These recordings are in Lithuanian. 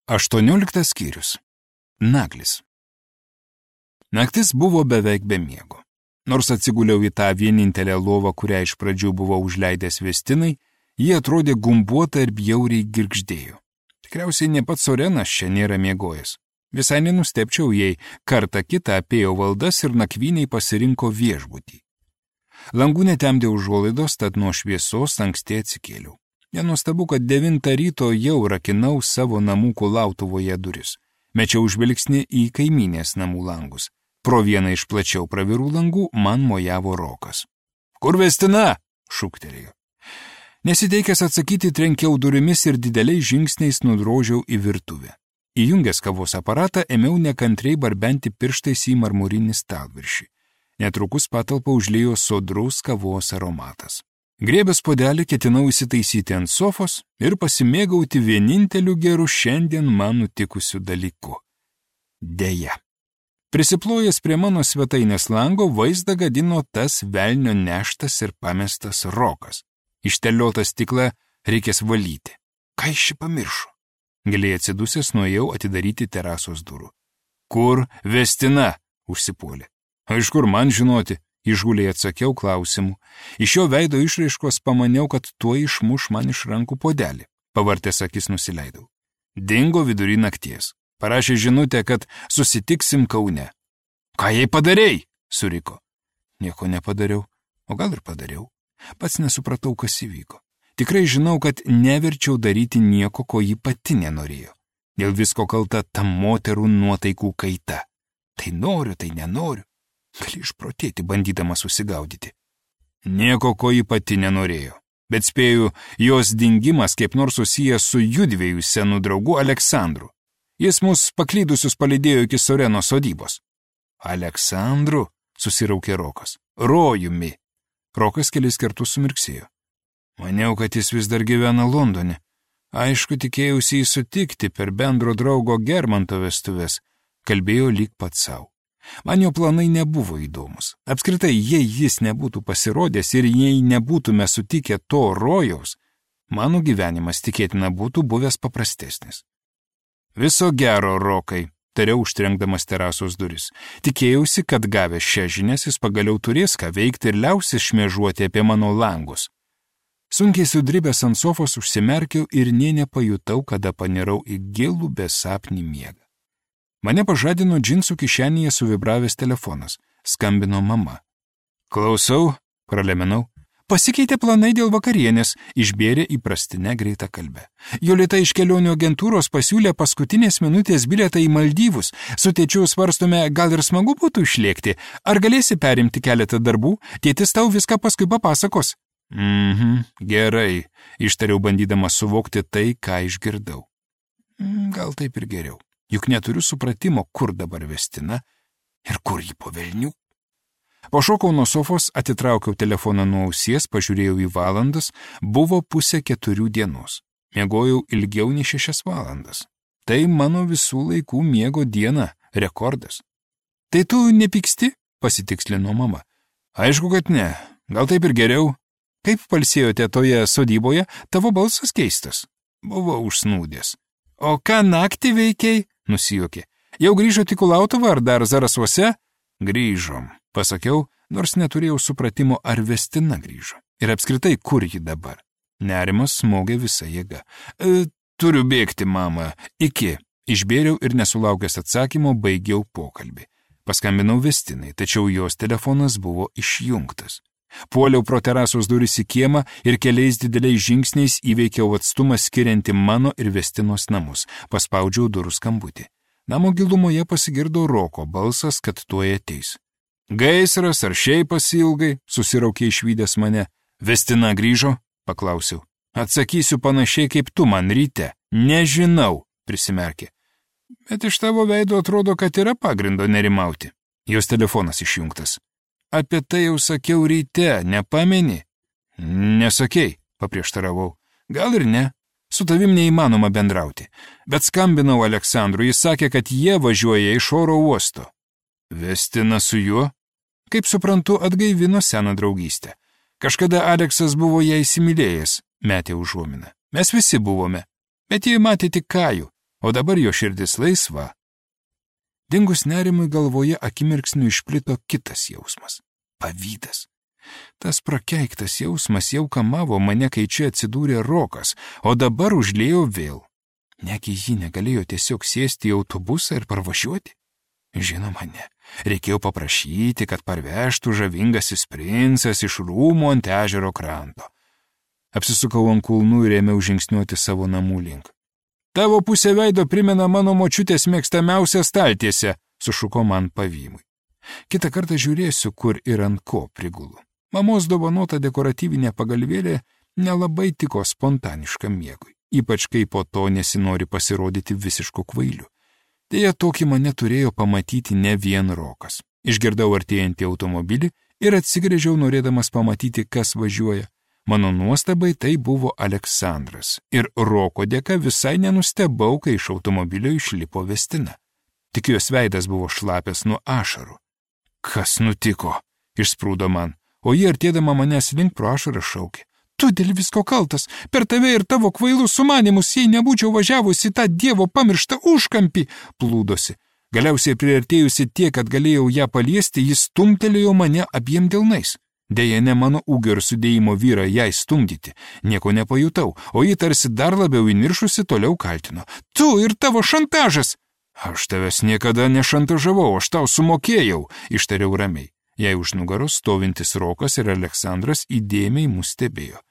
18 skyrius. Naglis. Naktis buvo beveik be miego. Nors atsiguliau į tą vienintelę lovą, kurią iš pradžių buvo užleidęs Vestinai, jie atrodė gumbuota ir bjauriai girgždėjo. Tikriausiai ne pats Sorenas čia nėra miegojęs. Visai nenustepčiau, jei kartą kitą apėjo valdas ir nakvyniai pasirinko viešbutį. Langų netemdė užuolaidos, tad nuo šviesos anksti atsikėliau. Nenuostabu, kad 9 ryto jau rakinau savo namų kulautuvoje duris. Mečiau žvilgsnį į kaimynės namų langus. Pro vieną iš plačiau pravirų langų man mojavo Rokas. Kur Vestina? Šūktelėjo. Nesiteikęs atsakyti, trenkiau durimis ir dideliais žingsniais nudrožiau į virtuvę. Įjungęs kavos aparatą, ėmiau nekantriai barbenti pirštais į marmurinį stalviršį. Netrukus patalpą užliejo sodrus kavos aromatas. Griebęs puodelį ketinau įsitaisyti ant sofos ir pasimėgauti vieninteliu geru šiandien man nutikusiu dalyku. Deja. Prisiplojęs prie mano svetainės lango vaizdą gadino tas velnio neštas ir pamestas Rokas. Išteliotą stiklą reikės valyti. Ką iš šį pamiršo? Giliai atsidusęs nuėjau atidaryti terasos durų. Kur Vestina? Užsipuolė. Iš kur man žinoti? Išguliai atsakiau klausimu. Iš jo veido išraiškos pamaniau, kad tuo išmuš man iš rankų puodelį. Pavartęs akis nusileidau. Dingo vidury nakties. Parašė žinutę, kad susitiksim Kaune. Ką jai padarei? Suriko. Nieko nepadariau. O gal ir padariau. Pats nesupratau, kas įvyko. Tikrai žinau, kad neverčiau daryti nieko, ko ji pati nenorėjo. Dėl visko kalta ta moterų nuotaikų kaita. Tai noriu, tai nenoriu. Gali išprotėti, bandydama susigaudyti. Nieko, ko ji pati nenorėjo. Bet spėju, jos dingimas kaip nors susijęs su judviejų senų draugu Aleksandru. Jis mus paklydusius palydėjo iki Soreno sodybos. Aleksandru? Susiraukė Rokas. Rojumi. Rokas kelis kartus sumirksėjo. Maniau, kad jis vis dar gyvena Londone. Aišku, tikėjausi jį sutikti per bendro draugo Germanto vestuves. Kalbėjo lyg pats savo. Man jo planai nebuvo įdomus. Apskritai, jei jis nebūtų pasirodęs ir jei nebūtume sutikę to rojaus, mano gyvenimas tikėtina būtų buvęs paprastesnis. Viso gero, Rokai, tariau užtrenkdamas terasos duris. Tikėjausi, kad gavęs šią žinias jis pagaliau turės ką veikti ir liausis šmėžuoti apie mano langus. Sunkiai sudribęs ant sofos užsimerkiau ir nė nepajutau, kada panirau į gilų besapnį miegą. Mane pažadino džinsų kišenėje suvibravęs telefonas. Skambino mama. Klausau, pralemenau. Pasikeitė planai dėl vakarienės, išbėrė įprastinę greitą kalbę. Jolita iš kelionių agentūros pasiūlė paskutinės minutės bilietą į Maldyvus. Su tėčiu svarstome, gal ir smagu būtų išlėkti. Ar galėsi perimti keletą darbų? Tėtis tau viską paskui papasakos. Gerai, ištariau bandydamas suvokti tai, ką išgirdau. Gal taip ir geriau. Juk neturiu supratimo, kur dabar Vestina ir kur ji po velnių. Pašokau nuo sofos, atitraukiau telefoną nuo ausies, pažiūrėjau į valandas, buvo 3:30 dienos. Miegojau ilgiau nei 6 valandas. Tai mano visų laikų miego diena, rekordas. Tai tu nepyksti? Pasitikslino mama. Aišku, kad ne. Gal taip ir geriau. Kaip palsėjote toje sodyboje, tavo balsas keistas. Buvo užsnūdęs. O ką naktį veikiai? Nusijuokė. Jau grįžote į Kulautuvą ar dar Zarasuose? Grįžom, pasakiau, nors neturėjau supratimo, ar Vestina grįžo. Ir apskritai, kur ji dabar? Nerimas smogė visą jėgą. Turiu bėgti, mama. Iki. Išbėriau ir nesulaukęs atsakymo baigiau pokalbį. Paskambinau Vestinai, tačiau jos telefonas buvo išjungtas. Puoliau pro terasos duris į kiemą ir keliais dideliais žingsniais įveikiau atstumą skirianti mano ir Vestinos namus. Paspaudžiau durų skambutį. Namo gilumoje pasigirdo Roko balsas, kad tuoj ateis. Gaisras ar šiaip pasiilgai, susiraukė išvydęs mane. Vestina grįžo? Paklausiau. Atsakysiu panašiai kaip tu man ryte. Nežinau, prisimerkė. Bet iš tavo veido atrodo, kad yra pagrindo nerimauti. Jos telefonas išjungtas. Apie tai jau sakiau ryte, nepameni? Nesakei, paprieštaravau. Gal ir ne. Su tavim neįmanoma bendrauti. Bet skambinau Aleksandru, jis sakė, kad jie važiuoja iš oro uosto. Vestina su juo? Kaip suprantu, atgaivino seną draugystę. Kažkada Aleksas buvo ją įsimylėjęs, metė užuominą. Mes visi buvome. Bet jie matė tik Kajų. o dabar jo širdis laisva. Dingus nerimui galvoje akimirksniu išplito kitas jausmas – pavydas. Tas prakeiktas jausmas jau kamavo mane, kai čia atsidūrė Rokas, o dabar užlėjo vėl. Negi ji negalėjo tiesiog sėsti į autobusą ir parvažiuoti? Žinoma, ne. Reikėjo paprašyti, kad parvežtų žavingasis princas iš rūmų ant ežero kranto. Apsisukau ant kulnų ir ėmiau žingsniuoti savo namų link. Tavo pusė veido primena mano močiutės mėgstamiausią staltiesę, sušuko man pavymui. Kitą kartą žiūrėsiu, kur ir ant ko prigulu. Mamos dovanota dekoratyvinė pagalvėlė nelabai tiko spontaniškam miegui, ypač kai po to nesinori pasirodyti visišku kvailiu. Deja, tokį mane turėjo pamatyti ne vien Rokas. Išgirdau artėjantį automobilį ir atsigręžiau norėdamas pamatyti, kas važiuoja. Mano nuostabai tai buvo Aleksandras ir Roko dėka visai nenustebau, kai iš automobilio išlipo Vestina. Tik jos veidas buvo šlapęs nuo ašarų. Kas nutiko? Išsprūdo man, o ji artėdama manęs link pro ašarą šaukė. Tu dėl visko kaltas, per tave ir tavo kvailus sumanimus, jei nebūčiau važiavusi tą dievo pamirštą užkampį, plūdosi. Galiausiai priartėjusi tiek, kad galėjau ją paliesti, jis stumtelėjo mane abiem delnais. Deja, ne mano ūgio ir sudėjimo vyrą jai stumdyti. Nieko nepajutau, o ji tarsi dar labiau įniršusi toliau kaltino. Tu ir tavo šantažas! Aš tavęs niekada nešantažavau, aš tau sumokėjau, ištariau ramiai. Jai už nugaros stovintis Rokas ir Aleksandras įdėmiai mus stebėjo.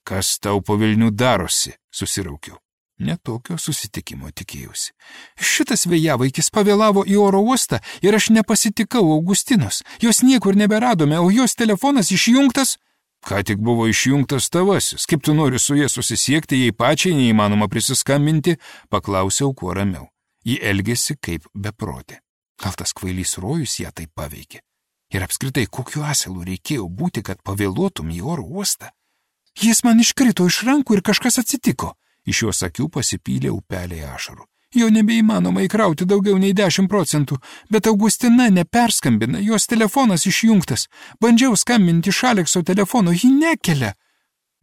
Kas tau po Vilnių darosi, susiraukiau. Netokio susitikimo tikėjausi. Šitas vėjavaikis pavėlavo į oro uostą ir aš nepasitikau Augustinos. Jos niekur neberadome, o jos telefonas išjungtas. Ką tik buvo išjungtas tavasis, kaip tu nori su jie susisiekti, jei pačiai neįmanoma prisiskambinti, paklausiau kuo ramiau. Ji elgėsi kaip beprotė. Gal tas kvailys rojus ją taip paveikė? Ir apskritai, kokiu asilu reikėjo būti, kad pavėluotum į oro uostą? Jis man iškrito iš rankų ir kažkas atsitiko. Iš jos akių pasipylė upeliai ašarų. Jo nebeįmanoma įkrauti daugiau nei 10%, bet Augustina neperskambina, jos telefonas išjungtas. Bandžiau skambinti iš Alekso telefono, ji nekelia.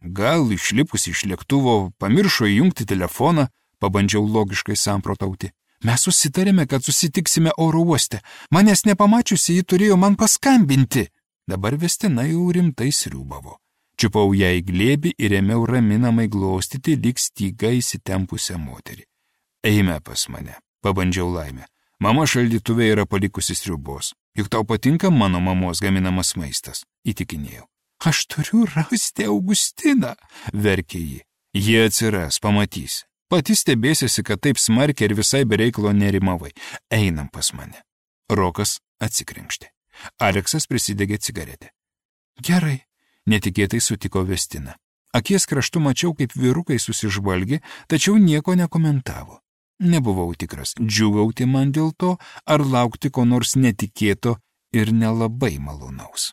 Gal išlipus iš lėktuvo pamiršo įjungti telefoną, pabandžiau logiškai samprotauti. Mes susitarėme, kad susitiksime oro uoste. Manęs nepamačiusi, ji turėjo man paskambinti. Dabar Vestina jau rimtai sriūbavo. Čiupau ją į glėbį ir ėmiau raminamai glostyti lyg styga įsitempusią moterį. Eime pas mane, pabandžiau laimę. Mama šaldytuve yra palikusi sriubos. Juk tau patinka mano mamos gaminamas maistas, įtikinėjau. Aš turiu rasti Augustiną, verkė ji. Jie atsiras, pamatysi. Pati stebėsiesi, kad taip smarkiai ir visai bereiklo nerimavai. Einam pas mane. Rokas atsikrenkštė. Aleksas prisidegė cigaretę. Gerai, netikėtai sutiko Vestina. Akies kraštu mačiau, kaip vyrukai susižvalgė, tačiau nieko nekomentavo. Nebuvau tikras, džiūgauti man dėl to, ar laukti ko nors netikėto ir nelabai malonaus.